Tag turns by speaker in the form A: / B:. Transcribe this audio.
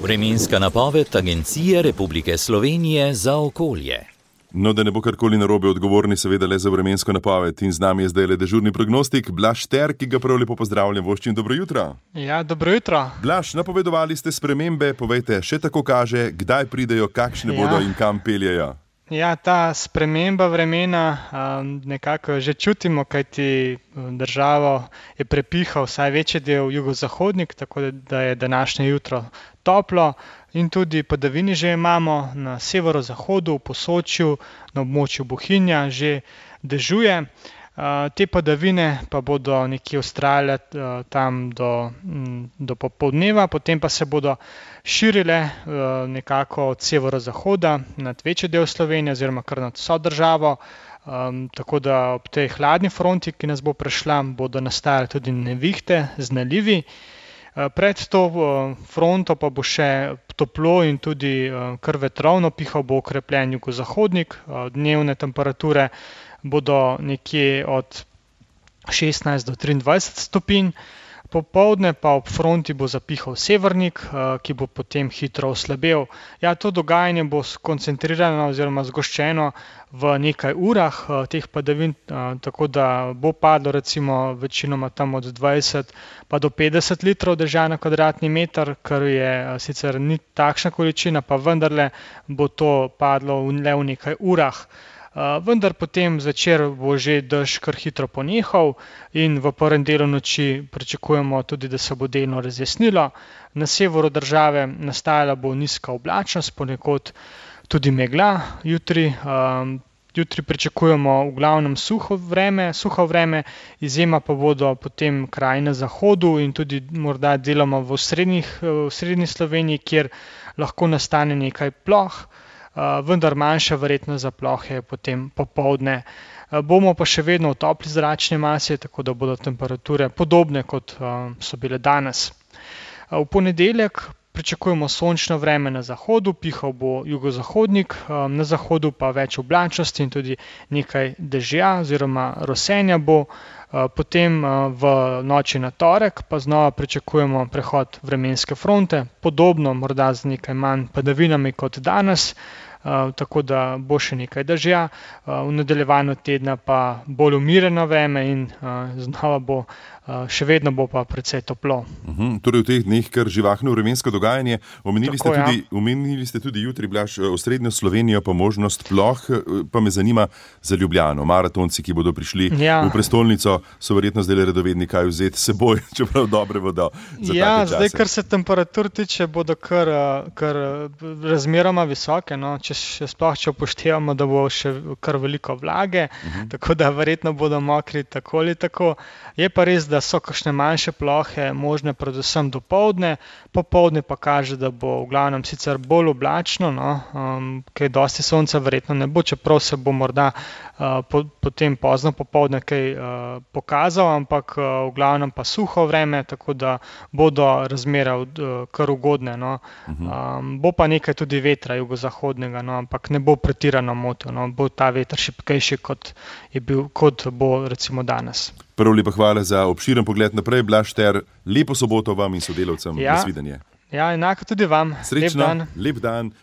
A: Vremenska napoved Agencije Republike Slovenije za okolje.
B: No, da ne bo karkoli narobe, odgovorni seveda le za vremensko napoved. In z nami je zdaj le dežurni prognostik Blaž Šter, ki ga prav lepo pozdravljam. Voščin, dobro jutro.
C: Ja, dobro jutro.
B: Blaž, napovedovali ste spremembe, povejte, še tako kaže, kdaj pridejo, kakšne bodo in kam peljejo.
C: Ja, ta sprememba vremena nekako že čutimo, kajti državo je prepihal vsaj večji del jugozahodnik, tako da je današnje jutro toplo in tudi padavini že imamo na severozahodu, v Posočju, na območju Bohinja že dežuje. Te padavine pa bodo nekje vztrajale tam do popoldneva, potem pa se bodo širile nekako od severozahoda nad večji del Slovenije oziroma kar nad vso državo, tako da ob tej hladni fronti, ki nas bo prešla, bodo nastajale tudi nevihte z nalivi. Pred to fronto pa bo še toplo in tudi kar vetrovno, pihal bo okrepljen jugozahodnik, dnevne temperature bodo nekje od 16 do 23 stopinj, popoldne pa ob fronti bo zapihal severnik, ki bo potem hitro oslabel. Ja, to dogajanje bo skoncentrirano oziroma zgoščeno v nekaj urah teh padavin, tako da bo padlo recimo večinoma tam od 20 pa do 50 litrov dežja na kvadratni meter, kar je sicer ni takšna količina, pa vendarle bo to padlo le v nekaj urah. Vendar potem zvečer bo že dež kar hitro ponehal in v prvem delu noči pričakujemo tudi, da se bo delno razjasnilo. Na severu države nastajala bo nizka oblačnost, ponekod tudi megla jutri. Jutri pričakujemo v glavnem suho vreme, izjema pa bodo potem kraji na zahodu in tudi morda deloma v srednji Sloveniji, kjer lahko nastane nekaj ploh, vendar manjša verjetnost za plohe potem popoldne. Bomo pa še vedno v topli zračni masi, tako da bodo temperature podobne, kot so bile danes. V ponedeljek pričakujemo sončno vreme na zahodu, pihal bo jugozahodnik, na zahodu pa več oblačnosti in tudi nekaj dežja oziroma rosenja bo. Potem v noči na torek pa znova pričakujemo prehod vremenske fronte, podobno morda z nekaj manj padavinami kot danes, tako da bo še nekaj dežja, v nadaljevanju tedna pa bolj umirjeno vreme in znova bo, še vedno bo pa precej toplo.
B: Torej v teh dneh kar živahno vremensko dogajanje. Omenili ste tudi jutri, Blaž, osrednjo Slovenijo pa možnost ploh, pa me zanima za Ljubljano. Maratonci, ki bodo prišli v prestolnico, so verjetno zdaj redovedni kaj vzeti s seboj, čeprav dobre vodo za take čase.
C: Zdaj, kar se temperatur tiče, bodo kar razmeroma visoke, no. Če upoštevamo, da bo še kar veliko vlage, tako da verjetno bodo mokri tako ali tako. Je pa res, da so kakšne manjše plohe možne predvsem dopoldne, popoldne pa kaže, da bo v glavnem sicer bolj oblačno, kaj dosti sonca verjetno ne bo, čeprav se bo morda potem pozno popoldne kaj pokazal, ampak v glavnem pa suho vreme, tako da bodo razmere kar ugodne, no. Bo pa nekaj tudi vetra jugozahodnega, no, ampak ne bo pretirano motil, no. Bo ta veter šibkejši, kot bo recimo danes.
B: Prav lepa hvala za obširen pogled naprej, Blaž Šter. Lepo soboto vam in sodelavcem. Nasvidenje.
C: Ja, enako tudi vam.
B: Srečno, lep dan.